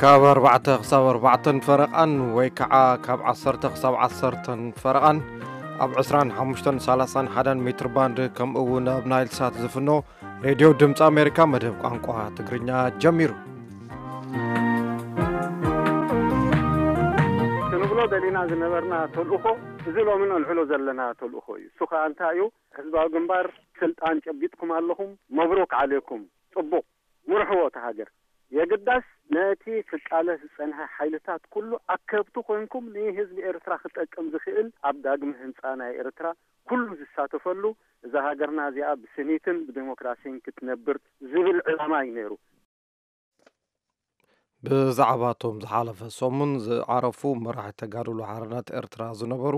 ካብ ኣርባዕተ ክሳብ ኣርባዕተን ፈረቓን ወይ ከዓ ካብ ዓሰርተ ክሳብ ዓሰርተን ፈረቓን ኣብ ዕስራን ሓሙሽተን ሰላሳን ሓደን ሜትር ባንድ፣ ከምኡ እውን ኣብ ናይል ሳት ዝፍኖ ሬድዮ ድምፂ ኣሜሪካ መደብ ቋንቋ ትግርኛ ጀሚሩ። ክንብሎ ደሊና ዝነበርና ተልእኾ፣ እዚ ሎሚ ነልዕሎ ዘለና ተልእኾ እዩ። እሱ ከዓ እንታይ እዩ? ህዝባዊ ግንባር፣ ስልጣን ጨቢጥኩም ኣለኹም፣ መብሩክ ዓሌኩም፣ ጽቡቕ፣ ምርሕዎ እቲ ሃገር። የግዳስ ነቲ ክቃለስ ዝጸንሐ ሓይልታት ኩሉ ኣከብቲ ኮንኩም ንህዝቢ ኤርትራ ክጠቅም ዝኽእል ኣብ ዳግመ ህንጻ ናይ ኤርትራ ኩሉ ዝሳተፈሉ፣ እዛ ሃገርና እዚኣ ብስኒትን ብዴሞክራሲን ክትነብር ዝብል ዕላማ እዩ ነይሩ። ብዛዕባ እቶም ዝሓለፈ ሰሙን ዝዓረፉ መራሒ ተጋድሎ ሓርነት ኤርትራ ዝነበሩ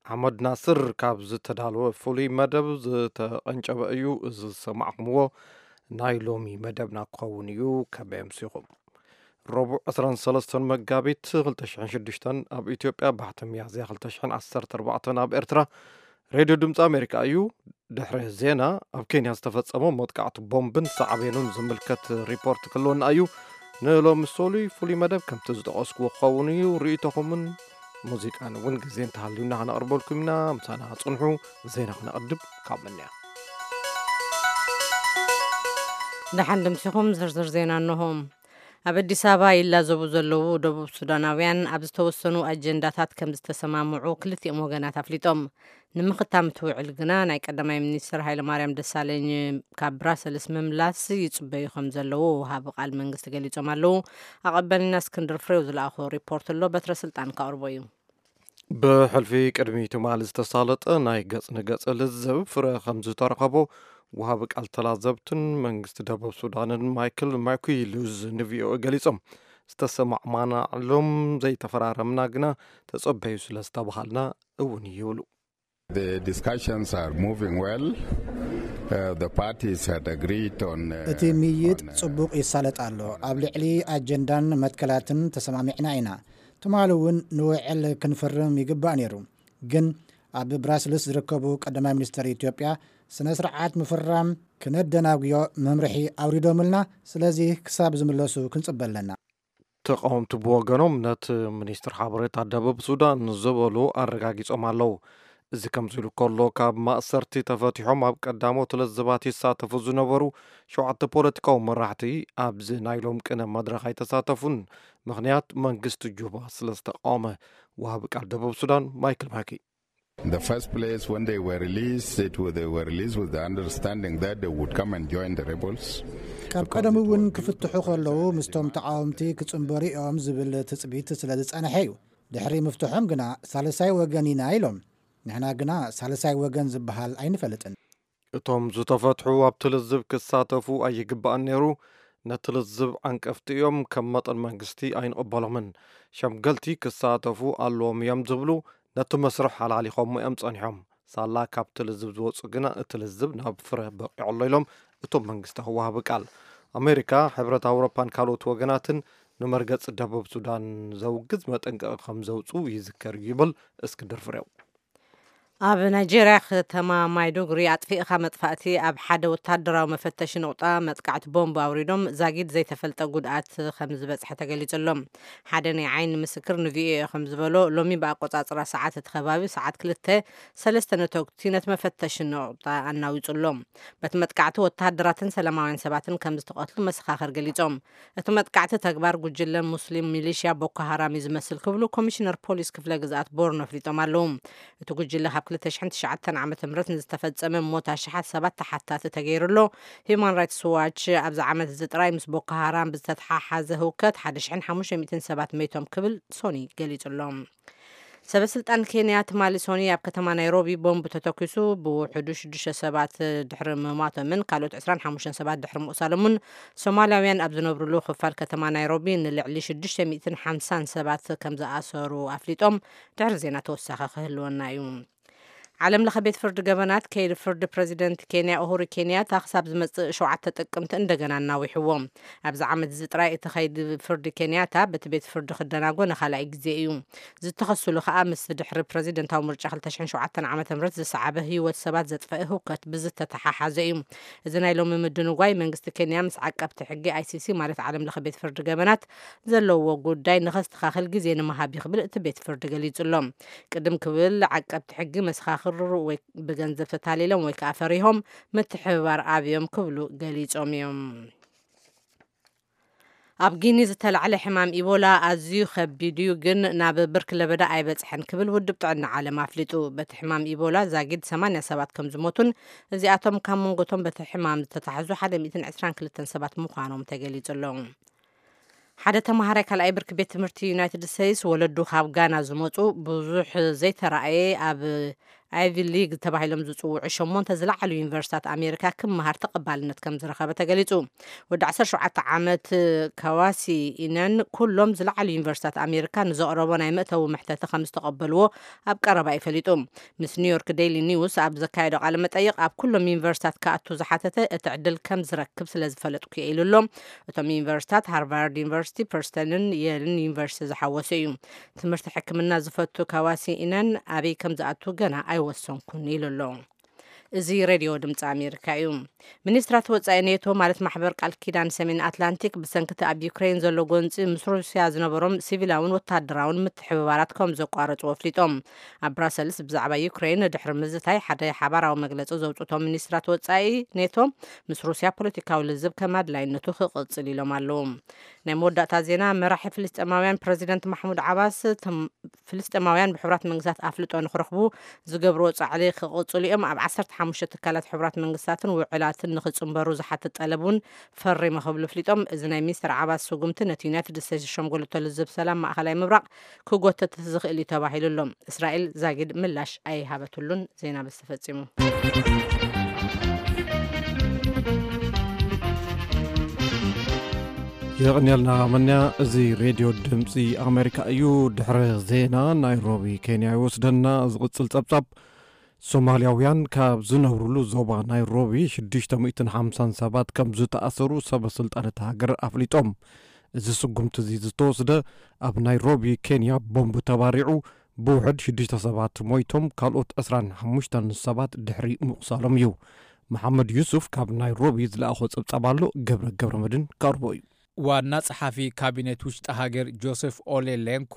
ኣሕመድ ናስር ካብ ዝተዳለወ ፍሉይ መደብ ዝተቐንጨበ እዩ። እዚ ዝሰማዕኩምዎ ናይ ሎሚ መደብና ክኸውን እዩ። ከመይ ኣምሲኹም? ረቡዕ ዕስራን ሰለስተን መጋቢት ክልተ ሽሕን ሽዱሽተን ኣብ ኢትዮጵያ፣ ባሕቲ ሚያዝያ ክልተ ሽሕን ዓሰርተ ኣርባዕተን ኣብ ኤርትራ። ሬድዮ ድምፂ ኣሜሪካ እዩ። ድሕሪ ዜና፣ ኣብ ኬንያ ዝተፈጸመ መጥቃዕቲ ቦምብን ሳዕቤኑን ዝምልከት ሪፖርት ክህልወና እዩ። ንሎሚ ሰሉይ ፍሉይ መደብ ከምቲ ዝጠቐስኩዎ ክኸውን እዩ። ርእይቶኹምን ሙዚቃን እውን ግዜ እንተሃልዩና ከነቕርበልኩም ኢና። ምሳና ጽንሑ። ዜና ክነቕድም ካብ ምንያ። ደሓን ድምሲኹም። ዝርዝር ዜና እንሆ። ኣብ ኣዲስ ኣበባ ይላዘቡ ዘለዉ ደቡብ ሱዳናውያን ኣብ ዝተወሰኑ ኣጀንዳታት ከም ዝተሰማምዑ ክልቲኦም ወገናት ኣፍሊጦም። ንምኽታም እቲ ውዕል ግና ናይ ቀዳማይ ሚኒስትር ሃይለማርያም ደሳለኝ ካብ ብራሰልስ ምምላስ ይጽበዩ ከም ዘለዉ ወሃቢ ቃል መንግስቲ ገሊጾም ኣለዉ። ኣቐባሊና እስክንድር ፍሬው ዝለኣኾ ሪፖርት ኣሎ፣ በትረ ስልጣን ከቕርቦ እዩ። ብሕልፊ ቅድሚ ትማሊ ዝተሳለጠ ናይ ገጽ ንገጽ ልዝብ ፍረ ከም ዝተረኸቦ ወሃቢ ቃል ተላዘብትን መንግስቲ ደቡብ ሱዳንን ማይክል ማኩይ ሉዝ ንቪኦኤ ገሊጾም። ዝተሰማዕማናዕሎም ዘይተፈራረምና ግና ተጸበዩ ስለ ዝተባሃልና እውን ይብሉ። The discussions are moving well. Uh, the parties had agreed on, uh, እቲ ምይይጥ on, uh, ጽቡቕ ይሳለጥ ኣሎ። ኣብ ልዕሊ ኣጀንዳን መትከላትን ተሰማሚዕና ኢና። ትማሊ እውን ንውዕል ክንፍርም ይግባእ ነይሩ። ግን ኣብ ብራስልስ ዝርከቡ ቀዳማይ ሚኒስትር ኢትዮጵያ ስነ ስርዓት ምፍራም ክነደናጉዮ መምርሒ ኣውሪዶምልና። ስለዚ ክሳብ ዝምለሱ ክንጽበ ኣለና። ተቃወምቲ ብወገኖም ነቲ ሚኒስትር ሓበሬታ ደቡብ ሱዳን ዝበሉ ኣረጋጊጾም ኣለዉ። እዚ ከምዚ ኢሉ ከሎ፣ ካብ ማእሰርቲ ተፈቲሖም ኣብ ቀዳሞት ለዝባት ይሳተፉ ዝነበሩ ሸውዓተ ፖለቲካዊ መራሕቲ ኣብዚ ናይ ሎም ቅነ መድረኽ ኣይተሳተፉን። ምኽንያት መንግስቲ ጁባ ስለ ዝተቃወመ። ወሃቢ ቃል ደቡብ ሱዳን ማይክል ማኪ። In the first place, when they were released, it was, they were released with the understanding that they would come and join the rebels. ካብ ቀደም እውን ክፍትሑ ከለዉ ምስቶም ተቃወምቲ ክጽንበሩ እዮም ዝብል ትጽቢት ስለ ዝጸንሐ እዩ። ድሕሪ ምፍትሖም ግና ሳልሳይ ወገን ኢና ኢሎም። ንሕና ግና ሳልሳይ ወገን ዝበሃል ኣይንፈልጥን። እቶም ዝተፈትሑ ኣብቲ ልዝብ ክሳተፉ ኣይግባእን ነይሩ። ነቲ ልዝብ ዓንቀፍቲ እዮም፣ ከም መጠን መንግስቲ ኣይንቕበሎምን። ሸምገልቲ ክሳተፉ ኣለዎም እዮም ዝብሉ ነቲ መስርሕ ኣላሊኾሞ እዮም ጸኒሖም። ሳላ ካብቲ ልዝብ ዝወጹ ግና እቲ ልዝብ ናብ ፍረ በቂዑ ኣሎ ኢሎም እቶም መንግስታዊ ወሃቢ ቃል። ኣሜሪካ፣ ሕብረት ኣውሮፓን ካልኦት ወገናትን ንመርገጺ ደቡብ ሱዳን ዘውግዝ መጠንቀቒ ከም ዘውጽኡ ይዝከር እዩ ይብል እስክንድር ፍሬው። ኣብ ናይጄርያ ከተማ ማይዱጉሪ ኣጥፊእኻ መጥፋእቲ ኣብ ሓደ ወታደራዊ መፈተሺ ነቑጣ መጥቃዕቲ ቦምብ ኣውሪዶም ዛጊድ ዘይተፈልጠ ጉድኣት ከም ዝበጽሐ ተገሊጹ ኣሎ። ሓደ ናይ ዓይኒ ምስክር ንቪኦኤ ከም ዝበሎ፣ ሎሚ ብኣቆጻጽራ ሰዓት እቲ ከባቢ ሰዓት ክልተ፣ ሰለስተ ነተጉቲ ነቲ መፈተሺ ነቑጣ ኣናዊጹ ኣሎ። በቲ መጥቃዕቲ ወታደራትን ሰላማውያን ሰባትን ከም ዝተቐትሉ መሰኻኽር ገሊጾም። እቲ መጥቃዕቲ ተግባር ጉጅለ ሙስሊም ሚሊሽያ ቦኮ ሃራም እዩ ዝመስል ክብሉ ኮሚሽነር ፖሊስ ክፍለ ግዝኣት ቦርኖ ኣፍሊጦም ኣለዉ። እቲ ጉጅለ ካብ ክልተ ሽሕን ትሽዓተን ዓመተ ምህረት ንዝተፈጸመ ሞት ኣሽሓት ሰባት ተሓታቲ ተገይሩ ኣሎ። ሂዩማን ራይትስ ዋች ኣብዚ ዓመት እዚ ጥራይ ምስ ቦኮ ሃራም ብዝተተሓሓዘ ህውከት ሓደ ሽሕን ሓሙሽተ ሚእትን ሰባት መይቶም ክብል ሶኒ ገሊጹ ኣሎ። ሰበ ስልጣን ኬንያ ትማሊ ሶኒ ኣብ ከተማ ናይሮቢ ቦምብ ተተኪሱ ብውሕዱ ሽዱሽተ ሰባት ድሕሪ ምሟቶምን ካልኦት ዕስራን ሓሙሽተን ሰባት ድሕሪ ምቑሳሎምን፣ ሶማላውያን ኣብ ዝነብሩሉ ክፋል ከተማ ናይሮቢ ንልዕሊ ሽዱሽተ ሚእትን ሓምሳን ሰባት ከም ዝኣሰሩ ኣፍሊጦም። ድሕሪ ዜና ተወሳኺ ክህልወና እዩ። ዓለም ለኸ ቤት ፍርዲ ገበናት ከይዲ ፍርዲ ፕረዚደንት ኬንያ ኡሁሩ ኬንያታ ክሳብ ዝመጽእ ሸውዓተ ጥቅምቲ እንደገና እናዊሕዎ። ኣብዚ ዓመት እዚ ጥራይ እቲ ከይዲ ፍርዲ ኬንያታ በቲ ቤት ፍርዲ ክደናጎ ንኻልኣይ ግዜ እዩ። ዝተኸስሉ ከኣ ምስ ድሕሪ ፕረዚደንታዊ ምርጫ ክልተ ሽሕን ሸውዓተን ዓመተ ምህረት ዝሰዓበ ህይወት ሰባት ዘጥፈአ ህውከት ብዝተተሓሓዘ እዩ። እዚ ናይ ሎሚ ምድንጓይ መንግስቲ ኬንያ ምስ ዓቀብቲ ሕጊ ኣይሲሲ ማለት ዓለም ለኸ ቤት ፍርዲ ገበናት ዘለዎ ጉዳይ ንኸስተኻኽል ግዜ ንምሃብ እዩ ክብል እቲ ቤት ፍርዲ ገሊጹ ኣሎ። ቅድም ክብል ዓቀብቲ ሕጊ መሰኻኽር ወይ ብገንዘብ ተታሊሎም ወይ ከዓ ፈሪሆም ምትሕብባር ኣብዮም ክብሉ ገሊጾም እዮም። ኣብ ጊኒ ዝተላዕለ ሕማም ኢቦላ ኣዝዩ ከቢድ እዩ፣ ግን ናብ ብርኪ ለበዳ ኣይበጽሐን ክብል ውድብ ጥዕና ዓለም ኣፍሊጡ። በቲ ሕማም ኢቦላ ዛጊድ ሰማንያ ሰባት ከም ዝሞቱን እዚኣቶም ካብ መንጎቶም በቲ ሕማም ዝተታሕዙ ሓደ ሚእትን ዕስራን ክልተን ሰባት ምዃኖም ተገሊጹ ኣሎ። ሓደ ተማሃራይ ካልኣይ ብርኪ ቤት ትምህርቲ ዩናይትድ ስቴትስ ወለዱ ካብ ጋና ዝመጹ ብዙሕ ዘይተራእየ ኣብ ኣይቪ ሊግ ተባሂሎም ዝጽውዑ ሸሞንተ ዝለዓሉ ዩኒቨርሲታት ኣሜሪካ ክመሃር ተቐባልነት ከም ዝረኸበ ተገሊጹ። ወዲ ዓሰርተ ሸውዓተ ዓመት ካዋሲ ኢነን ኩሎም ዝለዓሉ ዩኒቨርሲታት ኣሜሪካ ንዘቕረቦ ናይ መእተዊ መሕተቲ ከም ዝተቐበልዎ ኣብ ቀረባ እዩ ፈሊጡ። ምስ ኒውዮርክ ዴይሊ ኒውስ ኣብ ዘካየዶ ቃለ መጠይቕ ኣብ ኩሎም ዩኒቨርሲታት ክኣቱ ዝሓተተ እቲ ዕድል ከም ዝረክብ ስለ ዝፈለጥኩ እየ ኢሉ ኣሎ። እቶም ዩኒቨርሲታት ሃርቫርድ ዩኒቨርሲቲ፣ ፐርስተንን የልን ዩኒቨርሲቲ ዝሓወሰ እዩ። ትምህርቲ ሕክምና ዝፈቱ ካዋሲ ኢነን ኣበይ ከም ዝኣቱ ገና ኣይወሰንኩን ኢሉ ኣሎ። እዚ ሬድዮ ድምፂ ኣሜሪካ እዩ። ሚኒስትራት ወፃኢ ኔቶ ማለት ማሕበር ቃል ኪዳን ሰሜን ኣትላንቲክ ብሰንክቲ ኣብ ዩክሬን ዘሎ ጎንፂ ምስ ሩስያ ዝነበሮም ሲቪላውን ወታደራውን ምትሕብባራት ከም ዘቋረፁ ኣፍሊጦም። ኣብ ብራሰልስ ብዛዕባ ዩክሬን ድሕሪ ምዝታይ ሓደ ሓባራዊ መግለፂ ዘውፅቶም ሚኒስትራት ወፃኢ ኔቶ ምስ ሩስያ ፖለቲካዊ ልዝብ ከም ኣድላይነቱ ክቕፅል ኢሎም ኣለዉ። ናይ መወዳእታ ዜና። መራሒ ፍልስጤማውያን ፕረዚደንት ማሕሙድ ዓባስ ፍልስጤማውያን ብሕቡራት መንግስታት ኣፍልጦ ንክረኽቡ ዝገብርዎ ጻዕሪ ክቕጽሉ እዮም። ኣብ ዓሰርተ ሓሙሽተ ትካላት ሕቡራት መንግስታትን ውዕላትን ንክጽንበሩ ዝሓትት ጠለብ እውን ፈሪመ ክብሉ ኣፍሊጦም። እዚ ናይ ሚስተር ዓባስ ስጉምቲ ነቲ ዩናይትድ ስቴትስ ዝሸምገለቶ ልዝብ ሰላም ማእኸላይ ምብራቕ ክጎተት ዝኽእል እዩ ተባሂሉ ኣሎ። እስራኤል ዛጊድ ምላሽ ኣይሃበትሉን። ዜና በዚ ተፈጺሙ። የቕንየልና መንያ። እዚ ሬድዮ ድምፂ ኣሜሪካ እዩ። ድሕሪ ዜና ናይሮቢ ኬንያ ይወስደና። ዝቕፅል ፀብፃብ፣ ሶማልያውያን ካብ ዝነብሩሉ ዞባ ናይሮቢ ሽዱሽተ ሚእትን ሓምሳን ሰባት ከም ዝተኣሰሩ ሰበ ስልጣን እታ ሃገር ኣፍሊጦም። እዚ ስጉምቲ እዚ ዝተወስደ ኣብ ናይሮቢ ኬንያ ቦምብ ተባሪዑ ብውሕድ ሽዱሽተ ሰባት ሞይቶም፣ ካልኦት ዕስራን ሓሙሽተን ሰባት ድሕሪ ምቑሳሎም እዩ። መሓመድ ዩሱፍ ካብ ናይሮቢ ዝለኣኾ ጸብጻብ ኣሎ፣ ገብረ ገብረ መድን ከቕርቦ እዩ። ዋና ጸሓፊ ካቢኔት ውሽጢ ሃገር ጆሴፍ ኦሌ ሌንኩ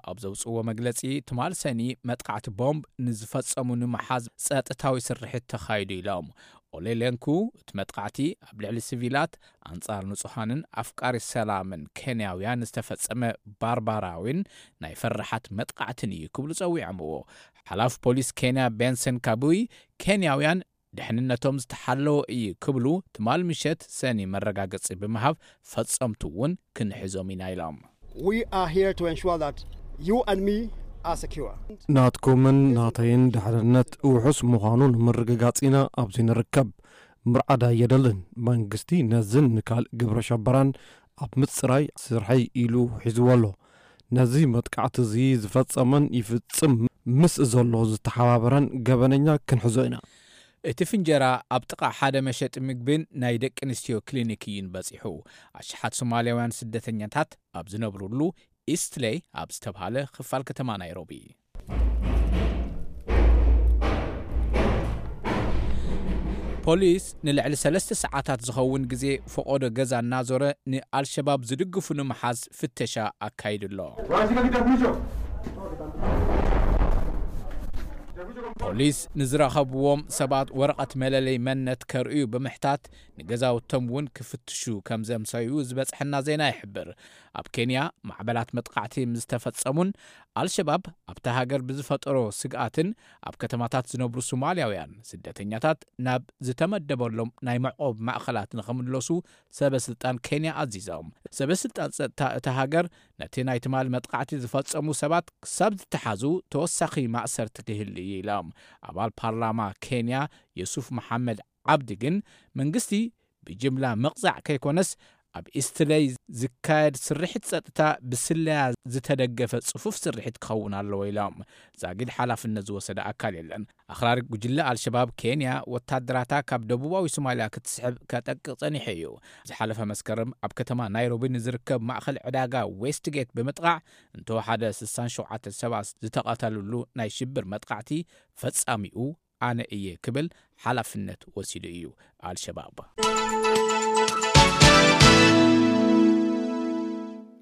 ኣብ ዘውጽእዎ መግለጺ፣ ትማል ሰኒ መጥቃዕቲ ቦምብ ንዝፈጸሙ ንምሓዝ ጸጥታዊ ስርሒት ተኻይዱ ኢሎም። ኦሌ ሌንኩ፣ እቲ መጥቃዕቲ ኣብ ልዕሊ ሲቪላት፣ ኣንጻር ንጹሃንን ኣፍቃሪ ሰላምን ኬንያውያን ዝተፈጸመ ባርባራዊን ናይ ፈራሓት መጥቃዕትን እዩ ክብሉ ጸዊዖምዎ። ሓላፊ ፖሊስ ኬንያ ቤንሰን ካቡይ፣ ኬንያውያን ድሕንነቶም ዝተሓለወ እዩ ክብሉ ትማል ምሸት ሰኒ መረጋገጺ ብምሃብ፣ ፈጸምቱ እውን ክንሕዞም ኢና ኢሎም። We are here to ensure that you and me are secure. ናትኩምን ናተይን ድሕንነት ውሑስ ምዃኑ ንምርግጋጽ ኢና ኣብዚ ንርከብ። ምርዓድ ኣየደልን። መንግስቲ ነዝን ንካልእ ግብረ ሸበራን ኣብ ምጽራይ ስርሐይ ኢሉ ሒዝዎ ኣሎ። ነዚ መጥቃዕቲ እዚ ዝፈጸመን ይፍጽም ምስ ዘሎ ዝተሓባበረን ገበነኛ ክንሕዞ ኢና። እቲ ፍንጀራ ኣብ ጥቓ ሓደ መሸጢ ምግብን ናይ ደቂ ኣንስትዮ ክሊኒክ እዩን በጺሑ። ኣሽሓት ሶማልያውያን ስደተኛታት ኣብ ዝነብሩሉ ኢስትሌይ ኣብ ዝተብሃለ ክፋል ከተማ ናይሮቢ። ፖሊስ ንልዕሊ ሰለስተ ሰዓታት ዝኸውን ግዜ ፈቖዶ ገዛ እናዞረ ንኣልሸባብ ዝድግፉ ንምሓዝ ፍተሻ ኣካይዱ ኣሎ። ፖሊስ ንዝረኸብዎም ሰባት ወረቐት መለለይ መንነት ከርእዩ ብምሕታት፣ ንገዛውቶም እውን ክፍትሹ ከም ዘምሰዩ ዝበጽሐና ዜና ይሕብር። ኣብ ኬንያ ማዕበላት መጥቃዕቲ ምስ ተፈጸሙን ኣልሸባብ ኣብታ ሃገር ብዝፈጠሮ ስግኣትን ኣብ ከተማታት ዝነብሩ ሶማልያውያን ስደተኛታት ናብ ዝተመደበሎም ናይ መዕቆብ ማእኸላት ንኽምለሱ ሰበ ስልጣን ኬንያ ኣዚዞም። ሰበ ስልጣን ጸጥታ እታ ሃገር ነቲ ናይ ትማሊ መጥቃዕቲ ዝፈጸሙ ሰባት ክሳብ ዝተሓዙ ተወሳኺ ማእሰርቲ ክህሉ እዩ ኢሎም። ኣባል ፓርላማ ኬንያ ዮሱፍ መሓመድ ዓብዲ ግን መንግስቲ ብጅምላ ምቕጻዕ ከይኮነስ ኣብ ኢስትለይ ዝካየድ ስርሒት ጸጥታ ብስለያ ዝተደገፈ ጽፉፍ ስርሒት ክኸውን ኣለዎ ኢሎም። ዛጊድ ሓላፍነት ዝወሰደ ኣካል የለን። ኣኽራሪ ጉጅለ ኣልሸባብ ኬንያ ወታደራታ ካብ ደቡባዊ ሶማልያ ክትስሕብ ከጠቅቕ ጸኒሑ እዩ። ዝሓለፈ መስከረም ኣብ ከተማ ናይሮቢ ንዝርከብ ማእኸል ዕዳጋ ዌስትጌት ብምጥቓዕ እንተወሓደ ስሳን ሸውዓተ ሰባት ዝተቐተሉሉ ናይ ሽብር መጥቃዕቲ ፈጻሚኡ ኣነ እየ ክብል ሓላፍነት ወሲዱ እዩ ኣልሸባብ።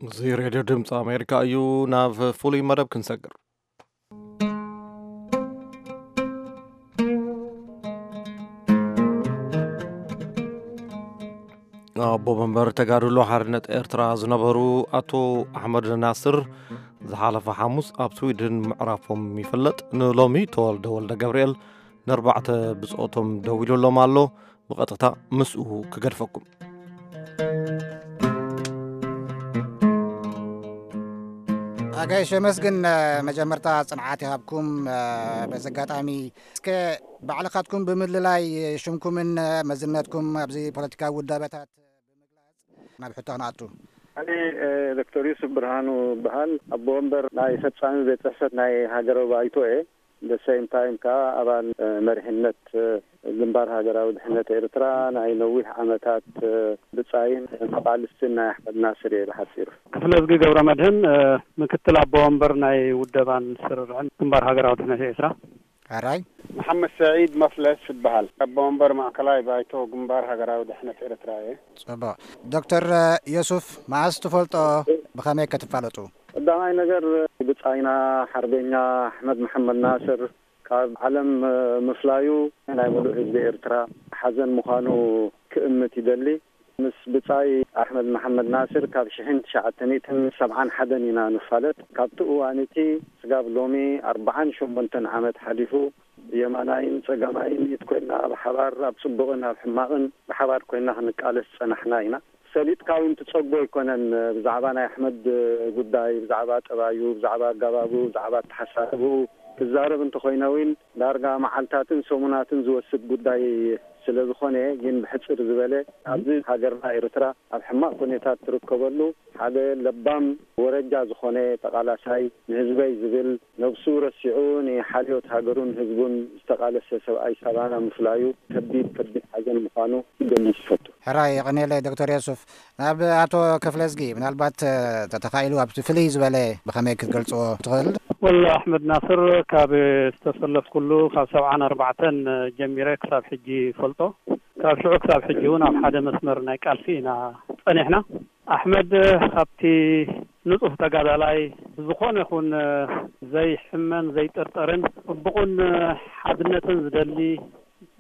እዚ ሬድዮ ድምፂ ኣሜሪካ እዩ። ናብ ፍሉይ መደብ ክንሰግር። ኣቦ መንበር ተጋድሎ ሓርነት ኤርትራ ዝነበሩ ኣቶ ኣሕመድ ናስር ዝሓለፈ ሓሙስ ኣብ ስዊድን ምዕራፎም ይፍለጥ። ንሎሚ ተወልደ ወልደ ገብርኤል ንኣርባዕተ ብጾቶም ደዊሉሎም ኣሎ። ብቐጥታ ምስኡ ክገድፈኩም። ኣጋይሽ የመስግን፣ መጀመርታ ጽንዓት ይሃብኩም። በዚ ኣጋጣሚ እስከ ባዕልኻትኩም ብምልላይ ሽምኩምን መዝነትኩም ኣብዚ ፖለቲካዊ ውዳበታት ብምግላጽ ናብ ሕቶ ክንኣቱ። ኣነ ዶክተር ዩሱፍ ብርሃኑ በሃል፣ ኣቦ ወንበር ናይ ፈጻሚ ቤት ጽሕፈት ናይ ሃገራዊ ባይቶ እየ። ደሰይም ታይም ከዓ ኣባል መሪሕነት ግንባር ሃገራዊ ድሕነት ኤርትራ ናይ ነዊሕ ዓመታት ብጻይን ተቓልስትን ናይ ኣሕመድ ናስር እየ ብሓጺሩ። ክፍለ ዝጊ ገብረ መድህን፣ ምክትል ኣቦ ወንበር ናይ ውደባን ስርርዕን ግንባር ሃገራዊ ድሕነት ኤርትራ። ሕራይ። መሓመድ ሰዒድ መፍለስ እበሃል። ኣቦ ወንበር ማእከላይ ባይቶ ግንባር ሃገራዊ ድሕነት ኤርትራ እየ። ጽቡቕ። ዶክተር ዮሱፍ፣ መዓስ ትፈልጦ? ብኸመይ ከ ትፋለጡ? ቀዳማይ ነገር፣ ብጻይና ሓርበኛ ኣሕመድ መሓመድ ናስር ካብ ዓለም ምፍላዩ ናይ ምሉእ ህዝቢ ኤርትራ ሓዘን ምዃኑ ክእምት ይደሊ። ምስ ብጻይ ኣሕመድ መሓመድ ናስር ካብ ሽሕን ትሽዓተ ሚእትን ሰብዓን ሓደን ኢና ንፋለጥ። ካብቲ እዋን እቲ ስጋብ ሎሚ ኣርብዓን ሸሞንተን ዓመት ሓሊፉ፣ የማናይን ጸጋማይን ኢድ ኮይንና ብሓባር ኣብ ጽቡቕን ኣብ ሕማቕን ብሓባር ኮይንና ክንቃለስ ጸናሕና ኢና። ሰሊጥካ እውን ትጸጎ ኣይኮነን። ብዛዕባ ናይ ኣሕመድ ጉዳይ፣ ብዛዕባ ጠባዩ፣ ብዛዕባ ኣጋባቡ፣ ብዛዕባ ኣተሓሳስብኡ ክዛረብ እንተኾይነ እውን ዳርጋ መዓልታትን ሰሙናትን ዝወስድ ጉዳይ ስለ ዝኾነ፣ ግን ብሕጽር ዝበለ ኣብዚ ሃገርና ኤርትራ ኣብ ሕማቕ ኩነታት ትርከበሉ ሓደ ለባም ወረጃ ዝኾነ ተቓላሳይ ንህዝበይ ዝብል ነብሱ ረሲዑ ንሓልዮት ሃገሩን ህዝቡን ዝተቓለሰ ሰብኣይ ሳባና ምፍላዩ ከቢድ ከቢድ ሓዘን ምዃኑ ክገልጽ ይፈቱ። ሕራይ የቐንየለይ ዶክተር የሱፍ። ናብ ኣቶ ክፍለዝጊ ምናልባት፣ እ፣ ተተኻኢሉ ኣብቲ ፍልይ ዝበለ ብኸመይ ክትገልጽዎ ትኽእል? ወላ ኣሕመድ ናስር ካብ ዝተሰለፍኩሉ ካብ ሰብዓን ኣርባዕተን ጀሚረ ክሳብ ሕጂ ይፈልጦ። ካብ ሽዑ ክሳብ ሕጂ እውን ኣብ ሓደ መስመር ናይ ቃልሲ ኢና ጸኒሕና። ኣሕመድ ካብቲ ንጹህ ተጋዳላይ ዝኾነ ይኹን ዘይሕመን ዘይጥርጠርን ጽቡቕን ሓድነትን ዝደሊ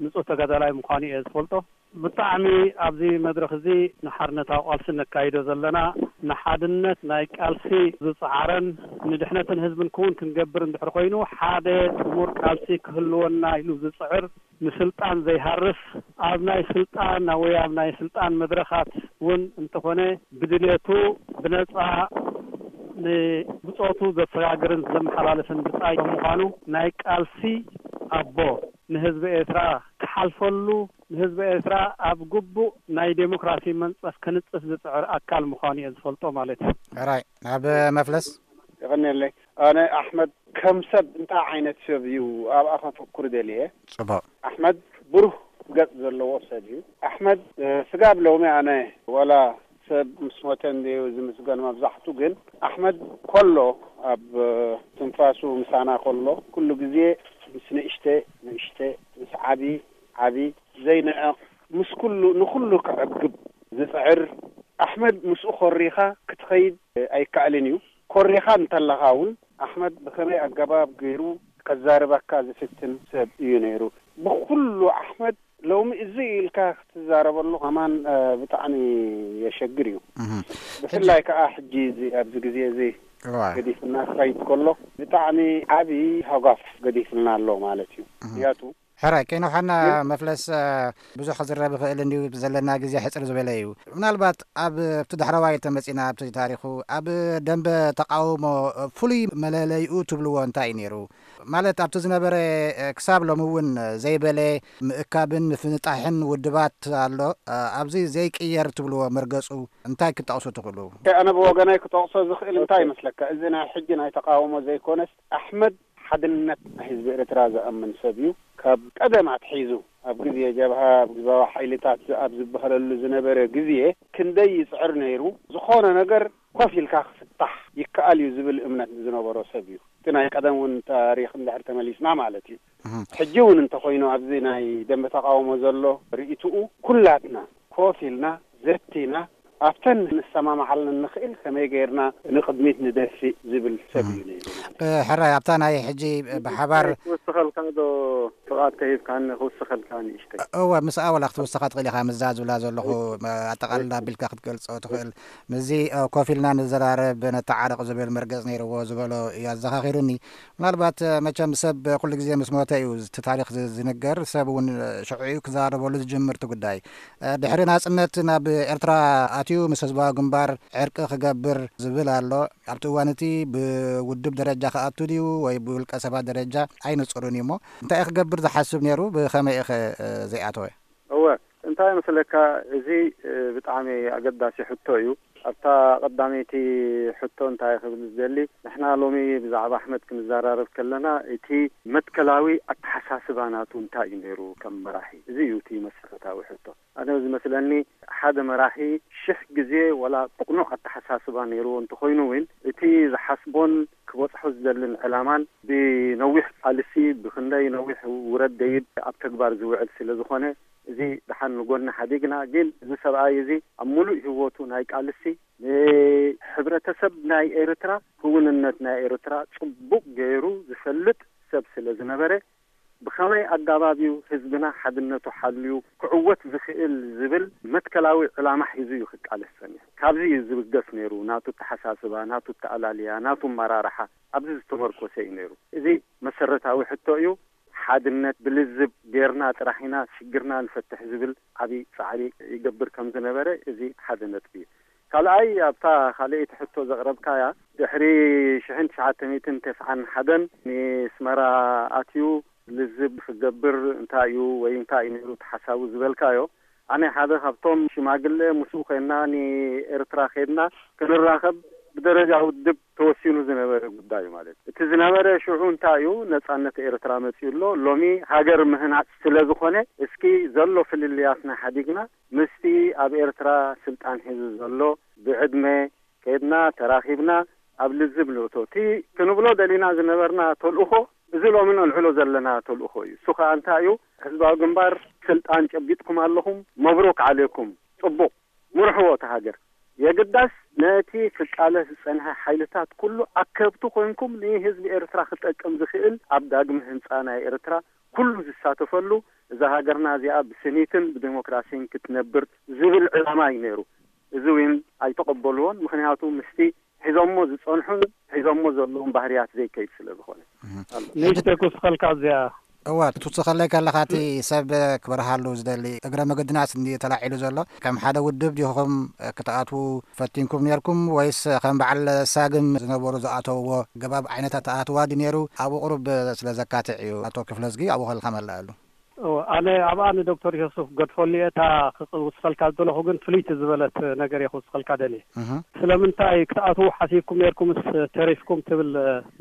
ንጹህ ተጋዳላይ ምዃኑ እየ ዝፈልጦ። ብጣዕሚ ኣብዚ መድረኽ እዚ ንሓርነታዊ ቃልሲ ነካይዶ ዘለና ንሓድነት ናይ ቃልሲ ዝጸዓረን ንድሕነትን ህዝብን ክውን ክንገብር እንድሕር ኮይኑ ሓደ ጥሙር ቃልሲ ክህልወና ኢሉ ዝጽዕር ንስልጣን ዘይሃርፍ ኣብ ናይ ስልጣን ወይ ኣብ ናይ ስልጣን መድረኻት እውን እንተኾነ ብድልየቱ ብነጻ ንብጾቱ ዘሰጋግርን ዘመሓላልፍን ብጻይ ከም ምዃኑ ናይ ቃልሲ ኣቦ ንህዝቢ ኤርትራ ክሓልፈሉ ንህዝቢ ኤርትራ ኣብ ግቡእ ናይ ዴሞክራሲ መንጸፍ ክንጽፍ ዝጽዕር ኣካል ምዃኑ እየ ዝፈልጦ ማለት እዩ። ሕራይ ናብ መፍለስ። የቐንየለይ። ኣነ ኣሕመድ ከም ሰብ እንታይ ዓይነት ሰብ እዩ ኣብኣ ከተኩር ደልየ። ጽቡቕ። ኣሕመድ ብሩህ ገጽ ዘለዎ ሰብ እዩ። ኣሕመድ፣ እ፣ ስጋብ ሎሚ ኣነ ዋላ ሰብ ምስ ሞተ እንድዩ ዝምስገን መብዛሕቱ፣ ግን ኣሕመድ ከሎ ኣብ፣ እ፣ ትንፋሱ ምሳና ከሎ ኩሉ ግዜ ምስ ንእሽተ ንእሽተ ምስ ዓቢ ዓቢ ዘይንዕቕ ምስ ኩሉ ንኩሉ ከዕግብ ዝጽዕር ኣሕመድ ምስኡ ኮሪኻ ክትኸይድ ኣይከኣልን እዩ። ኮሪኻ እንተለኻ እውን ኣሕመድ ብኸመይ ኣገባብ ገይሩ ከዛርበካ ዝፍትን ሰብ እዩ ነይሩ። ብኩሉ ኣሕመድ ሎሚ እዚ ኢልካ ክትዛረበሉ ከማን፣ እ፣ ብጣዕሚ የሸግር እዩ። እህ። ብፍላይ ከዓ ሕጂ እዚ ኣብዚ ግዜ እዚ እዋ። ገዲፍና ክኸይድ ከሎ ብጣዕሚ ዓቢ ሃጓፍ ገዲፍልና ኣሎ ማለት እዩ። እህ። ምክንያቱ ሕራይ ከይነውሓና ግን መፍለስ፣ እ፣ ብዙሕ ክዝረብ ይኽእል እንድዩ፣ ዘለና ግዜ ሕጽር ዝበለ እዩ። ምናልባት ኣብ፣ ኣብቲ ዳሕረዋይ ተመጺና ኣብቲ ታሪኹ ኣብ ደንበ ተቃውሞ ፍሉይ መለለይኡ ትብልዎ እንታይ እዩ ነይሩ? ማለት ኣብቲ ዝነበረ፣ እ፣ ክሳብ ሎሚ እውን ዘይበለ ምእካብን ምፍንጣሕን ውድባት ኣሎ። እ፣ ኣብዚ ዘይቅየር ትብልዎ መርገጹ እንታይ ክትጠቕሱ ትኽእሉ? ኣነ ብወገናይ ክጠቕሶ ዝኽእል እንታይ ይመስለካ? እዚ ናይ ሕጂ ናይ ተቃውሞ ዘይኮነስ፣ ኣሕመድ ሓድነት ናይ ህዝቢ ኤርትራ ዝኣምን ሰብ እዩ። ካብ ቀደም ኣትሒዙ፣ ኣብ ግዜ ጀብሃ፣ ኣብ ግዛዊ ሓይልታት ኣብ ዝበሃለሉ ዝነበረ ግዜ፣ ክንደይ ይጽዕር ነይሩ። ዝኾነ ነገር ኮፍ ኢልካ ክፍታሕ ይከኣል እዩ ዝብል እምነት ዝነበሮ ሰብ እዩ። እቲ ናይ ቀደም እውን ታሪኽ እንድሕር ተመሊስና ማለት እዩ። እህ። ሕጂ እውን እንተኾይኑ፣ ኣብዚ ናይ ደንበ ተቃውሞ ዘሎ ርእይትኡ፣ ኩላትና ኮፍ ኢልና ዘቲና ኣብተን ንሰማማዓለን ንኽእል ከመይ ገይርና ንቕድሚት ንደፊእ ዝብል ሰብ እዩ ነይሩ። እ፣ ሕራይ፣ ኣብታ ናይ ሕጂ ብሓባር ክውስኸልካ ዶ? ጥቓት ከሂብካኒ ክውስኸልካ ንእሽተይ። እወ፣ ምስኣ ዋላ ክትውስኻ ትኽእል ኢኻ። ምዛ ዝብላ ዘለኹ፣ እ፣ ኣጠቓልላ ኣቢልካ ክትገልጾ ትኽእል። ምስዚ፣ እ፣ ኮፍ ኢልና ንዘራረብ፣ ነተዓረቕ ዝብል መርገጽ ነይርዎ ዝበሎ እዩ ኣዘኻኺሩኒ። ምናልባት፣ እ፣ መቸም ሰብ ኩሉ ግዜ ምስ ሞተ እዩ እቲ ታሪኽ ዝ-፣ ዝንገር። ሰብ እውን፣ እ፣ ሽዑ እዩ ክዘራረበሉ ዝጅምር እቲ ጉዳይ። እ፣ ድሕሪ ናጽነት ናብ ኤርትራ ኣትዩ ምስ ህዝባዊ ግንባር ዕርቂ ክገብር ዝብል ኣሎ። ኣብቲ እዋን እቲ ብውድብ ደረጃ ክኣቱ ድዩ ወይ ብውልቀ ሰባት ደረጃ ኣይንጹርን እዩ። እሞ እንታይ እዩ ክገብር ዝሓስብ ነይሩ? ብኸመይ እዩ ኸ፣ እ፣ ዘይኣተወ? እወ፣ እንታይ መስለካ፣ እዚ፣ እ፣ ብጣዕሚ ኣገዳሲ ሕቶ እዩ። ኣብታ ቀዳመይቲ ሕቶ እንታይ ክብል ዝደሊ፣ ንሕና ሎሚ ብዛዕባ ኣሕመድ ክንዘራረብ ከለና፣ እቲ መትከላዊ ኣተሓሳስባ ናቱ እንታይ እዩ ነይሩ ከም መራሒ? እዚ እዩ እቲ መሰረታዊ ሕቶ። ኣነ ዝመስለኒ፣ ሓደ መራሒ ሽሕ ግዜ ዋላ ጥቕኑዕ ኣተሓሳስባ ነይርዎ እንተኾይኑ እውን፣ እቲ ዝሓስቦን ክበጽሖ ዝደልን ዕላማን ብነዊሕ ቃልሲ፣ ብኽንደይ ነዊሕ ውረድ ደይብ ኣብ ተግባር ዝውዕል ስለ ዝኾነ፣ እዚ ደሓን ንጎኒ ሓዲግና፣ ግን እዚ ሰብኣይ እዚ ኣብ ሙሉእ ህይወቱ ናይ ቃልሲ፣ ንሕብረተሰብ ናይ ኤርትራ፣ ክውንነት ናይ ኤርትራ ጽቡቕ ገይሩ ዝፈልጥ ሰብ ስለ ዝነበረ፣ ብኸመይ ኣጋባብ እዩ ህዝብና ሓድነቱ ሓልዩ ክዕወት ዝኽእል ዝብል መትከላዊ ዕላማ ሒዙ እዩ ክቃለስ ጸኒሑ። ካብዚ እዩ ዝብገስ ነይሩ፣ ናቱ ኣተሓሳስባ፣ ናቱ ኣተኣላልያ፣ ናቱ ኣመራርሓ ኣብዚ ዝተመርኮሰ እዩ ነይሩ። እዚ መሰረታዊ ሕቶ እዩ። ሓድነት ብልዝብ ጌርና ጥራሕ ኢና ሽግርና ንፈትሕ ዝብል ዓቢ ጻዕሪ ይገብር ከም ዝነበረ፣ እዚ ሓደ ነጥቢ እዩ። ካልኣይ፣ ኣብታ ካልኣይቲ ሕቶ ዘቕረብካያ፣ ድሕሪ ሽሕን ትሽዓተ ሚእትን ተስዓን ሓደን ንስመራ ኣትዩ ልዝብ ክገብር እንታይ እዩ ወይ እንታይ እዩ ነይሩ እቲ ሓሳቡ ዝበልካዮ፣ ኣነ ሓደ ካብቶም ሽማግለ ምስኡ ኮይንና ንኤርትራ ከድና ክንራኸብ ብደረጃ ውድብ ተወሲኑ ዝነበረ ጉዳይ እዩ ማለት እዩ። እቲ ዝነበረ ሽዑ እንታይ እዩ፣ ነጻነት ኤርትራ መጺኡ ኣሎ። ሎሚ ሃገር ምህናጽ ስለ ዝኾነ፣ እስኪ ዘሎ ፍልልያትና ሓዲግና ምስቲ ኣብ ኤርትራ ስልጣን ሒዙ ዘሎ ብዕድመ ከድና ተራኺብና ኣብ ልዝብ ንእቶ። እቲ ክንብሎ ደሊና ዝነበርና ተልእኾ፣ እዚ ሎሚ ነልዕሎ ዘለና ተልእኾ እዩ። እሱ ኸኣ እንታይ እዩ? ህዝባዊ ግንባር ስልጣን ጨቢጥኩም ኣለኹም፣ መብሩክ ዓሌኩም፣ ጽቡቕ፣ ምርሕዎ እቲ ሃገር። የግዳስ ነቲ ክቃለስ ዝጸንሐ ሓይልታት ኩሉ ኣከብቲ ኮንኩም ንህዝቢ ኤርትራ ክጠቅም ዝኽእል ኣብ ዳግመ ህንጻ ናይ ኤርትራ ኩሉ ዝሳተፈሉ፣ እዛ ሃገርና እዚኣ ብስኒትን ብዲሞክራሲን ክትነብር ዝብል ዕላማ እዩ ነይሩ። እዚ እውን ኣይተቐበልዎን። ምኽንያቱ ምስቲ ሒዞሞ ዝጸንሑን ሒዞሞ ዘለውን ባህርያት ዘይከይድ ስለ ዝኾነ። እህ። ኣሎ። ንእሽተይ ክውስኸልካ እዚኣ። እወ፣ ክትውስኸለይ ከለኻ እቲ ሰብ ክበርሃሉ ዝደሊ እግረ መገድናስ እንዲ ተላዒሉ ዘሎ፣ ከም ሓደ ውድብ ዲኹም ክትኣትዉ ፈቲንኩም ነርኩም ወይስ ከም በዓል ሳግም ዝነበሩ ዝኣተውዎ ገባብ ዓይነት ኣተኣትዋ ድዩ ነይሩ? ኣብኡ ቁሩብ ስለ ዘካትዕ እዩ። ኣቶ ክፍለዝጊ ኣብኡ ከለኻ መላእሉ። እወ፣ ኣነ ኣብኣ ንዶክተር ዮሱፍ ገድፈሉ እየ። እታ ክውስኸልካ ዝደለኹ ግን ፍልይቲ ዝበለት ነገር እየ ክውስኸልካ ደልየ። እህ። ስለምንታይ ክትኣትዉ ሓሲብኩም ነርኩምስ ተሪፍኩም ትብል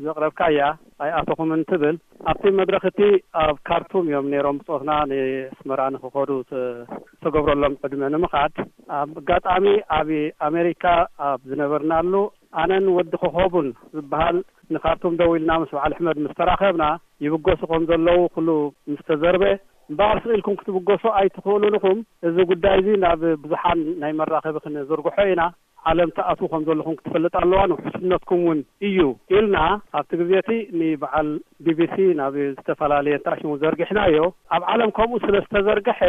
ዘቕረብካያ፣ ኣይኣተኹምን ትብል። ኣብቲ መድረኽ እቲ ኣብ ካርቱም እዮም ነይሮም ብጾትና ንኣስመራ ንኽኸዱ ተ-፣ ዝተገብረሎም ዕድመ ንምኻድ። ኣብ ኣጋጣሚ ኣብ ኣሜሪካ ኣብ ዝነበርናሉ ኣነን ወዲ ኮኾቡን ዝበሃል ንካርቱም ደው ኢልና ምስ በዓል ኣሕመድ ምስ ተራኸብና፣ ይብገሱ ከም ዘለዉ ኩሉ ምስ ተዘርበ፣ እምበኣር ስቕ ኢልኩም ክትብገሱ ኣይትኽእሉን ኢኹም፣ እዚ ጉዳይ እዚ ናብ ብዙሓን ናይ መራኸቢ ክንዝርግሖ ኢና፣ ዓለም ትኣትዉ ከም ዘለኹም ክትፈልጥ ኣለዋ፣ ንውሕስነትኩም እውን እዩ ኢልና፣ ኣብቲ ግዜ እቲ ንበዓል ቢ ቢ ሲ ናብ ዝተፈላለየ እንተኣሽሙ ዘርጊሕናዮ። ኣብ ዓለም ከምኡ ስለ ዝተዘርግሐ፣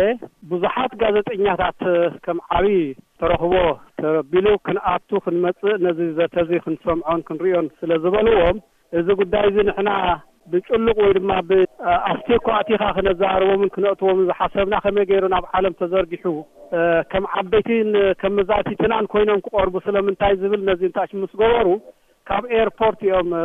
ብዙሓት ጋዜጠኛታት ከም ዓብዪ ተረኽቦ ተረቢሉ ክንኣቱ ክንመጽእ፣ ነዚ ዘተ እዚ ክንሰምዖን ክንርእዮን ስለ ዝበልዎም፣ እዚ ጉዳይ እዚ ንሕና ብጭሉቕ ወይ ድማ ብ-፣ ኣስቴኮ ኣቲኻ ክነዘራርቦምን ክነእትዎምን ዝሓሰብና ከመይ ገይሩ ናብ ዓለም ተዘርጊሑ፣ እ፣ ከም ዓበይትን ከም መዛቲትናን ኮይኖም ክቐርቡ ስለምንታይ ዝብል ነዚ እንታች ምስ ገበሩ፣ ካብ ኤርፖርት እዮም፣ እ፣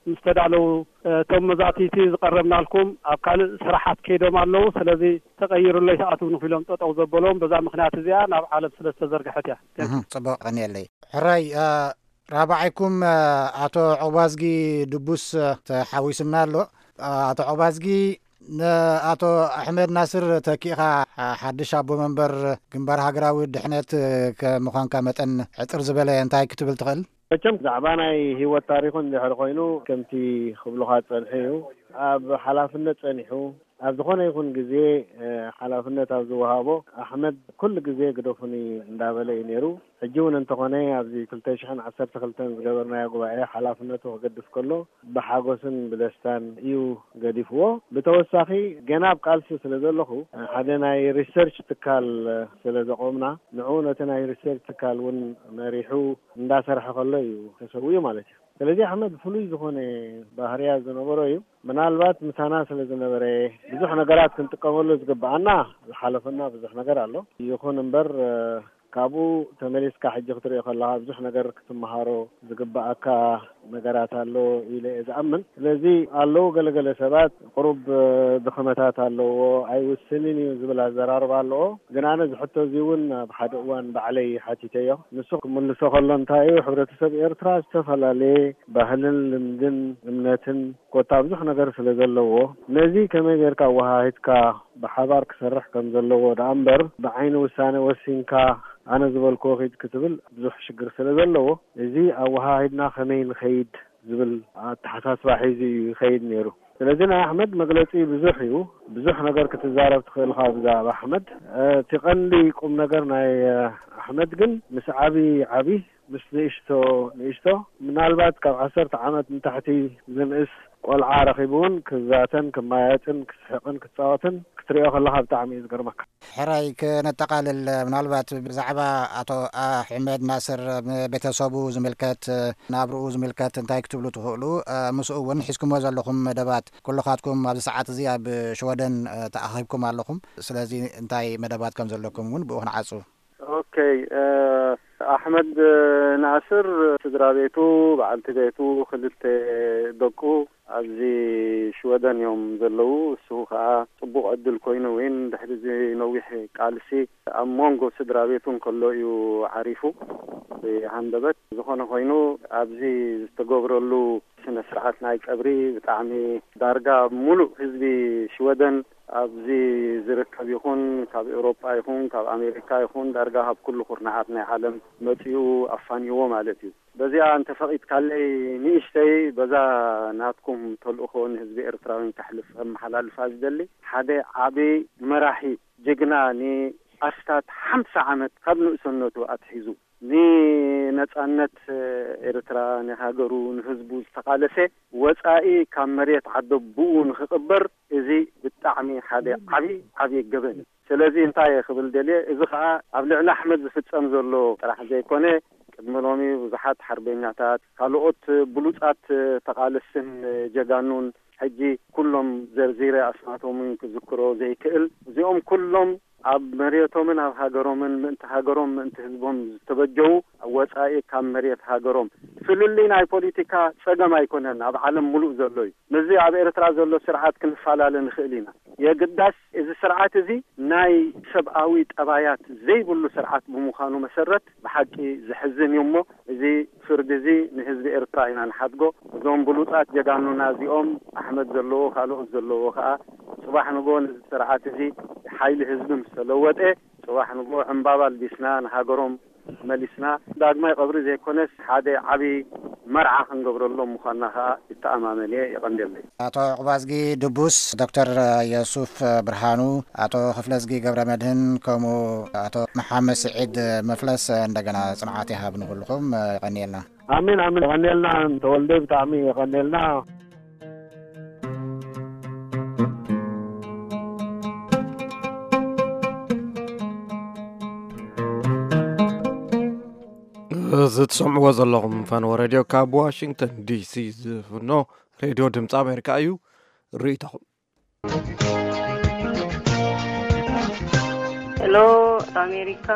ምስ ተዳለዉ፣ እ፣ እቶም መዛትይቲ ዝቐረብናልኩም ኣብ ካልእ ስራሓት ከይዶም ኣለዉ። ስለዚ ተቐይሩለይ ትኣትዉ ንኺሎም ጠጠው ዘበሎም በዛ ምኽንያት እዚኣ ናብ ዓለም ስለ ዝተዘርግሐት እያ። እህ፣ ጽቡቕ፣ ቀንየለይ። ሕራይ፣ እ፣ ራብዓይኩም፣ እ፣ ኣቶ ዑባዝጊ ድቡስ፣ እ፣ ተሓዊስና ኣሎ። እ፣ ኣቶ ዑባዝጊ፣ ንኣቶ ኣሕመድ ናስር ተኪእኻ ሓድሽ ኣቦ መንበር ግንባር ሃገራዊ ድሕነት ከምዃንካ መጠን፣ ሕጽር ዝበለ እንታይ ክትብል ትኽእል? መቸም ብዛዕባ ናይ ህይወት ታሪኹ እንድሕር ኮይኑ፣ ከምቲ ክብሉኻ ዝጸንሑ እዩ። ኣብ ሓላፍነት ጸኒሑ፣ ኣብ ዝኾነ ይኹን ግዜ፣ እ፣ ሓላፍነት ኣብ ዝወሃቦ፣ ኣሕመድ ኩሉ ግዜ ግደፉኒ እንዳበለ እዩ ነይሩ። ሕጂ እውን እንተኾነ፣ ኣብዚ ክልተ ሽሕን ዓሰርተ ክልተን ዝገበርናዮ ጉባኤ ሓላፍነቱ ክገድፍ ከሎ፣ ብሓጎስን ብደስታን እዩ ገዲፍዎ። ብተወሳኺ፣ ገና ኣብ ቃልሲ ስለ ዘለኹ፣ ሓደ ናይ ሪሰርች ትካል ስለ ዘቆምና፣ ንዕኡ ነቲ ናይ ሪሰርች ትካል እውን መሪሑ እንዳሰርሐ ከሎ እዩ ተሰዊኡ ማለት እዩ። ስለዚ ኣሕመድ ፍሉይ ዝኾነ ባህርያት ዝነበሮ እዩ። ምናልባት ምሳና ስለ ዝነበረ ብዙሕ ነገራት ክንጥቀመሉ ዝግብኣና፣ ዝሓለፈና ብዙሕ ነገር ኣሎ። ይኹን እምበር፣ እ፣ ካብኡ ተመሊስካ ሕጂ ክትሪኦ ከለኻ ብዙሕ ነገር ክትመሃሮ ዝግብኣካ ነገራት ኣሎ ኢለ እየ ዝኣምን። ስለዚ ኣለዉ ገለገለ ሰባት ቁሩብ፣ እ፣ ድኽመታት ኣለዎ፣ ኣይውስንን እዩ ዝብል ኣዘራርባ ኣለዎ። ግን ኣነ እዚ ሕቶ እዚ እውን ኣብ ሓደ እዋን ባዕለይ ሓቲተዮ። ንሱ ክምልሶ ከሎ እንታይ እዩ፣ ሕብረተሰብ ኤርትራ ዝተፈላለየ ባህልን ልምድን እምነትን ኮታ ብዙሕ ነገር ስለ ዘለዎ፣ ነዚ ከመይ ጌርካ ኣወሃሂድካ ብሓባር ክሰርሕ ከም ዘለዎ ደኣ እምበር፣ ብዓይኒ ውሳነ ወሲንካ ኣነ ዝበልክዎ ኺድ ክትብል ብዙሕ ሽግር ስለ ዘለዎ፣ እዚ ኣወሃሂድና ከመይ ንኸይድ ዝብል ኣተሓሳስባ ሒዙ እዩ ይኸይድ ነይሩ። ስለዚ ናይ ኣሕመድ መግለጺ ብዙሕ እዩ። ብዙሕ ነገር ክትዛረብ ትኽእል ኢኻ ብዛዕባ ኣሕመድ። እቲ ቀንዲ ቁም ነገር ናይ ኣሕመድ ግን ምስ ዓቢ ዓቢ፣ ምስ ንእሽቶ ንእሽቶ፣ ምናልባት ካብ ዓሰርተ ዓመት ንታሕቲ ዝንእስ ቆልዓ ረኺቡ እውን ክዛተን ክመያየጥን ክስሕቕን ክጻወትን ክትሪኦ ከለኻ ብጣዕሚ እዩ ዝገርመካ። ሕራይ፣ ክነጠቓልል፣ ምናልባት ብዛዕባ ኣቶ ኣሕመድ ናስር፣ ቤተሰቡ ዝምልከት፣ ናብርኡ ዝምልከት እንታይ ክትብሉ ትኽእሉ? ምስኡ እውን ሒዝኩሞ ዘለኹም መደባት፣ ኩልኻትኩም ኣብዚ ሰዓት እዚ ኣብ ሽወደን ተኣኺብኩም ኣለኹም። ስለዚ እንታይ መደባት ከም ዘለኩም እውን ብኡ ክንዓጹ። ኦኬ፣ እ፣ ኣሕመድ ናስር ስድራ ቤቱ፣ በዓልቲ ቤቱ፣ ክልተ ደቁ ኣብዚ ሽወደን እዮም ዘለዉ። እሱ ከኣ ጽቡቕ ዕድል ኮይኑ እውን ድሕሪ እዚ ነዊሕ ቃልሲ ኣብ መንጎ ስድራ ቤቱ እንከሎ እዩ ዓሪፉ። ብሃንደበት ዝኾነ ኮይኑ ኣብዚ ዝተገብረሉ ስነ ስርዓት ናይ ቀብሪ ብጣዕሚ ዳርጋ ሙሉእ ህዝቢ ሽወደን ኣብዚ ዝርከብ ይኹን ካብ ኤውሮጳ ይኹን ካብ ኣሜሪካ ይኹን ዳርጋ ካብ ኩሉ ኩርናዓት ናይ ዓለም መጺኡ ኣፋንይዎ ማለት እዩ። በዚኣ እንተፈቒድካለይ ንእሽተይ በዛ ናትኩም ተልእኾ ንህዝቢ ኤርትራውያን ከሕልፍ ከመሓላልፋ ዝደሊ ሓደ ዓቢ መራሒ ጅግና ንኣስታት ሓምሳ ዓመት ካብ ንእሰነቱ ኣትሒዙ ንነጻነት ኤርትራ ንሃገሩ ንህዝቡ ዝተቓለሰ ወጻኢ ካብ መሬት ዓደቦኡ ንኽቕበር እዚ ብጣዕሚ ሓደ ዓቢ ዓቢ ገበን እዩ። ስለዚ እንታይ እየ ክብል ደልየ፣ እዚ ኸኣ ኣብ ልዕሊ ኣሕመድ ዝፍጸም ዘሎ ጥራሕ ዘይኮነ ቅድሚ ሎሚ ብዙሓት ሓርበኛታት ካልኦት ብሉጻት ተቓለስትን ጀጋኑን ሕጂ ኩሎም ዘርዚረ ኣስማቶምን ክዝክሮ ዘይክእል እዚኦም ኩሎም ኣብ መሬቶምን ኣብ ሃገሮምን ምእንቲ ሃገሮም ምእንቲ ህዝቦም ዝተበጀዉ ወጻኢ ካብ መሬት ሃገሮም ፍልልይ ናይ ፖለቲካ ጸገም ኣይኮነን፣ ኣብ ዓለም ሙሉእ ዘሎ እዩ። ምስዚ ኣብ ኤርትራ ዘሎ ስርዓት ክንፈላለ ንኽእል ኢና። የግዳስ እዚ ስርዓት እዚ ናይ ሰብኣዊ ጠባያት ዘይብሉ ስርዓት ብምዃኑ መሰረት ብሓቂ ዘሕዝን እዩ እሞ እዚ ፍርዲ እዚ ንህዝቢ ኤርትራ ኢና ንሓድጎ። እዞም ብሉጻት ጀጋኑና እዚኦም ኣሕመድ ዘለዎ ካልኦት ዘለዎ ከኣ ጽባሕ ንግሆ ነዚ ስርዓት እዚ ሓይሊ ህዝቢ ምስ ተለወጠ ጽባሕ ንግሆ ዕምባባ ኣልቢስና ንሃገሮም መሊስና ዳግማይ ቀብሪ ዘይኮነስ ሓደ ዓቢ መርዓ ክንገብረሎም ምዃንና ከኣ ይተኣማመን እየ። የቐንደለይ። ኣቶ ዕቑባዝጊ ድቡስ፣ ዶክተር የሱፍ ብርሃኑ፣ ኣቶ ክፍለዝጊ ገብረ መድህን ከምኡ ኣቶ መሓመድ ስዒድ መፍለስ እንደገና ጽንዓት ይሃብ ንኹልኹም። የቐንየልና። ኣሜን ኣሜን። የቐንየልና ተወልደ፣ ብጣዕሚ የቐንየልና። እዚ ትሰምዕዎ ዘለኹም ፈነወ ሬድዮ ካብ ዋሽንግተን ዲሲ ዝፍኖ ሬድዮ ድምፂ ኣሜሪካ እዩ። ርእይቶኹም። ሄሎ ኣሜሪካ፣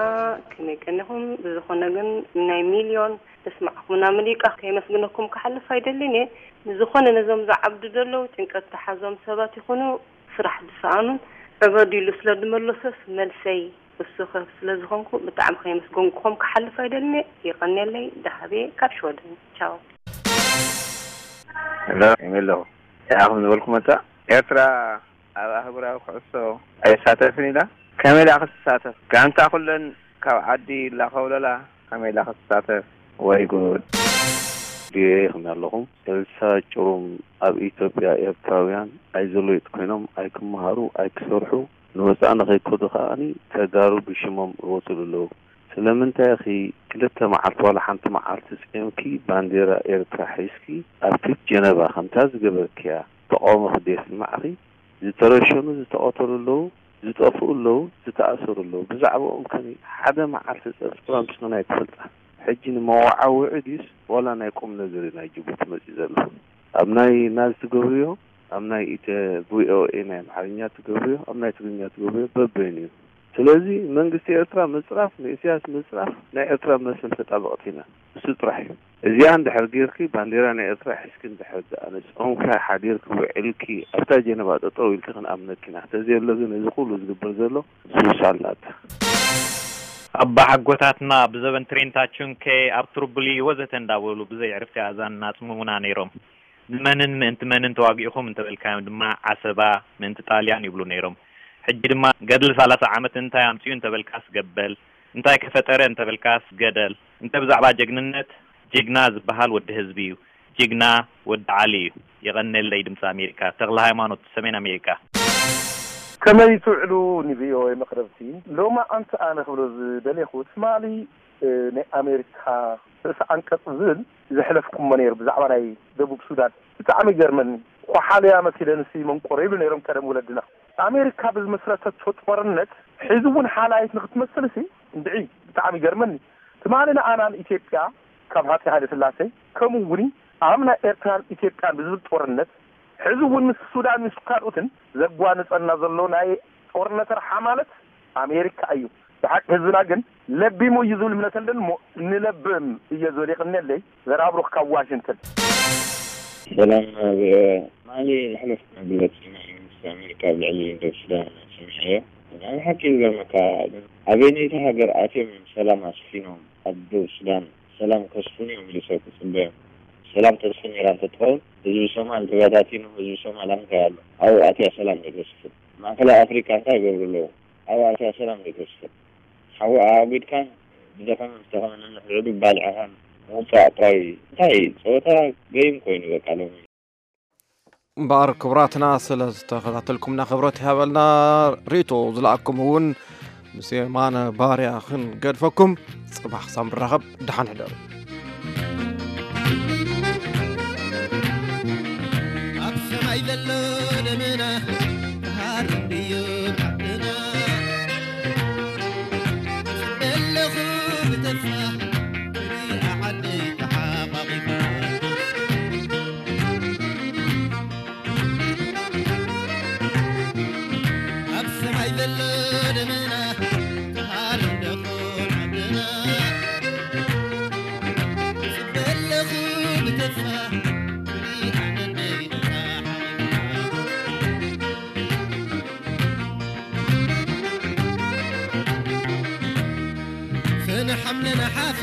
ከመይ ቀኒኹም? ብዝኾነ ግን ናይ ሚልዮን ተስማዕኩምና ምሊቃ ከየመስግነኩም ክሓልፍ ኣይደልን እየ። ንዝኾነ ነዞም ዝዓብዱ ዘለዉ ጭንቀት ዝሓዞም ሰባት ይኹኑ ስራሕ ዝሰኣኑን ዕበዱ ኢሉ ስለ ዝመለሶስ መልሰይ እሱ ከ ስለ ዝኾንኩ ብጣዕሚ ከየመስገንኩኹም ክሓልፍ ኣይደልን እየ። የቐንየለይ። ደሃቤ ካብ ሽወደን። ቻው። ሄሎ፣ ከመይ ኣለኹ? ይኣኹም ዝበልኩ መጻ ኤርትራ ኣብ ኣህጉራዊ ኩዕሶ ኣይሳተፍን ኢላ። ከመይ ኢላ ክትሳተፍ? ጋንታ ኩለን ካብ ዓዲ ኢላ ከውለላ ከመይ ኢላ ክትሳተፍ? ወይ ጉድ። ድየ ይኽም ኣለኹም ሰልሳ ጭሩም ኣብ ኢትዮጵያ ኤርትራውያን ኣይዘሎይጥ ኮይኖም ኣይክመሃሩ ኣይክሰርሑ ንወፃእ ንኸይከዱ ከኣኒ ተጋሩ ብሽሞም እወትሉ ኣለዉ። ስለምንታይ ኢኺ ክልተ መዓልቲ ዋላ ሓንቲ መዓልቲ ፂምኪ ባንዴራ ኤርትራ ሒዝኪ ኣብቲ ጀነቫ ከምታ ዝገበርክያ ተቃውሞኺ ደየስማዕኺ? ዝተረሸኑ ዝተቐተሉ ኣለዉ፣ ዝጠፍኡ ኣለዉ፣ ዝተኣሰሩ ኣለዉ። ብዛዕባኦም ከ ሓደ መዓልቲ ፀብፃብ ኣምፂኽን ኣይትፈልጣን። ሕጂ ንመወዓውዒ ድዩስ ዋላ ናይ ቁምነገር እዩ ናይ ጅቡቲ መፂኡ ዘሎ? ኣብ ናይ ናዝ ትገብርዮ፣ ኣብ ናይ ኢተ ቪኦኤ ናይ ኣምሓርኛ ትገብርዮ፣ ኣብ ናይ ትግርኛ ትገብርዮ በበይኑ እዩ። ስለዚ መንግስቲ ኤርትራ ምፅራፍ ንኢሳያስ ምፅራፍ ናይ ኤርትራ መስል ተጣበቕቲ ኢና። እሱ ጥራሕ እዩ። እዚኣ እንድሕር ጌርኪ ባንዴራ ናይ ኤርትራ ሒዝኪ እንድሕር ደኣ ንጾምኪ ሓዲርኪ ውዒልኪ ኣብታ ጀነባ ጠጠው ኢልኪ ክንኣምነኪ ኢና። ተዘየሎ ግን እዚ ኩሉ ዝግበር ዘሎ ሱሳላታ። ኣባ ሓጎታትና ብዘበን ትሬንታ ቹንኬ ኣብ ትሩቡሊ ወዘተ እንዳበሉ ብዘይ ዕርፍቲ ኣዛን እናጽምሙና ነይሮም። ንመንን ምእንቲ መንን ተዋጊእኹም እንተበልካዮም ድማ ዓሰባ ምእንቲ ጣልያን ይብሉ ነይሮም። ሕጂ ድማ ገድሊ ሰላሳ ዓመት እንታይ ኣምጺኡ እንተበልካስ ገበል፣ እንታይ ከፈጠረ እንተበልካስ ገደል፣ እንተ ብዛዕባ ጀግንነት ጅግና ዝበሃል ወዲ ህዝቢ እዩ። ጅግና ወዲ ዓሊ እዩ። የቐንየለይ። ድምፂ ኣሜሪካ፣ ተኽለ ሃይማኖት፣ ሰሜን ኣሜሪካ። ከመይ ትውዕሉ ንቪኦኤ መቕረብቲ? ሎማዓንቲ ኣነ ክብሎ ዝደሌኹ ትማሊ ናይ ኣሜሪካ ርእሰ ዓንቀፅ ዝብል ዘሕለፍኩሞ ነይሩ ብዛዕባ ናይ ደቡብ ሱዳን። ብጣዕሚ ይገርመኒ። ኳሓልያ መሲለንሲ መንቆሮ ይብሉ ነይሮም ቀደም ወለድና። ኣሜሪካ ብዝመስረተቶ ጦርነት ሕዚ እውን ሓላይት ንክትመስልሲ እንድዒ ብጣዕሚ ይገርመኒ። ትማሊ ንኣናን ኢትዮጵያ ካብ ሃፀይ ሃይለ ስላሴ ከምኡ እውን ኣብ ናይ ኤርትራን ኢትዮጵያን ብዝብል ጦርነት ሕዚ እውን ምስ ሱዳን ምስ ካልኦትን ዘጓንፀና ዘሎ ናይ ጦርነት ረሓ ማለት ኣሜሪካ እዩ። ብሓቂ ህዝብና ግን ለቢሙ እዩ ዝብል እምነት ኣለኒ እሞ ንለብም እየ ዝብል። የቐንየለይ። ዘርኣብሩኽ ካብ ዋሽንግተን። ሰላም ቪኦኤ። ትማሊ ዘሕለፍኩ መግለፂ ናይ መንግስቲ ኣሜሪካ ኣብ ልዕሊ ደቡብ ሱዳን ሰሚዐዮ። ናይ ብሓቂ ዝገርመካ ግን ኣበይነይቲ ሃገር ኣትዮም እዮም ሰላም ኣስፊኖም ኣብ ደቡብ ሱዳን ሰላም ከስፍኑ እዮም ኢሉ ሰብ ክፅበዮም። ሰላም ተስፍን ነይራ እንተትኸውን ህዝቢ ሶማል ተበታቲኑ ህዝቢ ሶማል ኣምታይ ኣሎ ኣብኡ ኣትያ ሰላም ዶ ተስፍን? ማእከላይ ኣፍሪቃ እንታይ ይገብሩ ኣለዉ ኣብኡ ኣትያ ሰላም ዶ ተስፍን? ሓዊ ኣኣጒድካን ብደኸመ ምስ ደኸመ ነንሕድሕዱ ባልዕኻን ምውፃእ ጥራይ እንታይ ጸወታ ገይም ኮይኑ በቃ ሎሚ። እምበኣር ክቡራትና ስለ ዝተኸታተልኩምና ክብረት ይሃበልና። ሪቶ ዝለኣኩም እውን ምስ የማነ ባርያ ክንገድፈኩም ጽባሕ ክሳብ ንራኸብ ደሓን ሕደሩ። ኣብ ሰማይ ዘሎ ደመና ክሃርም ድዩ ዓድና? ኣለኹ ብተስፋ ክሪኣ ዓደይ ተሓቋቒፋ። ኣብ ሰማይ ዘሎ ደመና ክሃርም ደኾን ዓድና። ጽበ ኣለኹ ብተስፋ ክሪኣ ዓደይ ተሓቋቒፋ። ሰነ ሓምለ ነሓሰ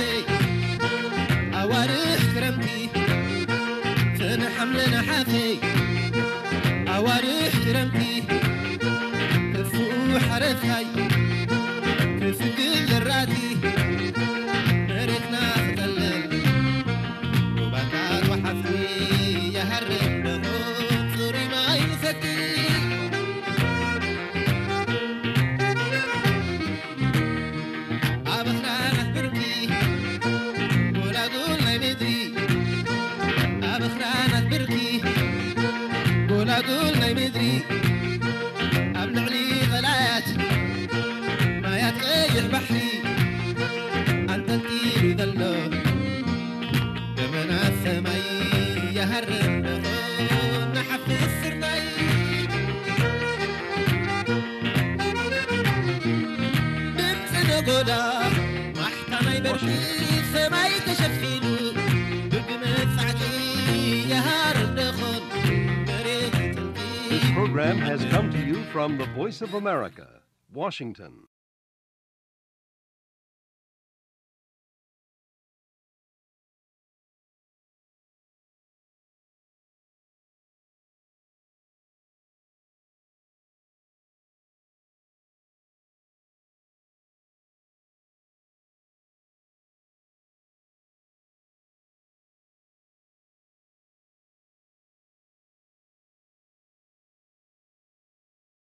ኣዋርሕ ክረምቲ፣ ሰነ ሓምለ ነሓሰ ኣዋርሕ ክረምቲ፣ ተስፍኡ ሓረስታይ ክስግር ዘራእቲ፣ መሬትና ክጠልል ሩባታት ወሓዝቲ፣ ይሃርም ደኾን ጽሩይ ማይ ንሰቲ። ኣብ ኣኽራናት ብርኪ ጎላጉል ናይ ምድሪ፣ ኣብ ኣኽራናት ብርኪ ጎላጉል ናይ ምድሪ፣ ኣብ ልዕሊ ቐላያት ማያት ቀይሕ ባሕሪ ኣንጠልጢሉ ዘሎ ደመና ሰማይ ይሃርም ደኾን ንሓፍስ ስርናይ። ድምፂ ነጎዳ ማሕታ ናይ በርቂ ሰማይ ተሸፊኑ ብግመ ፃዕቂ ይሃርም Program has come to you from the Voice of America, Washington.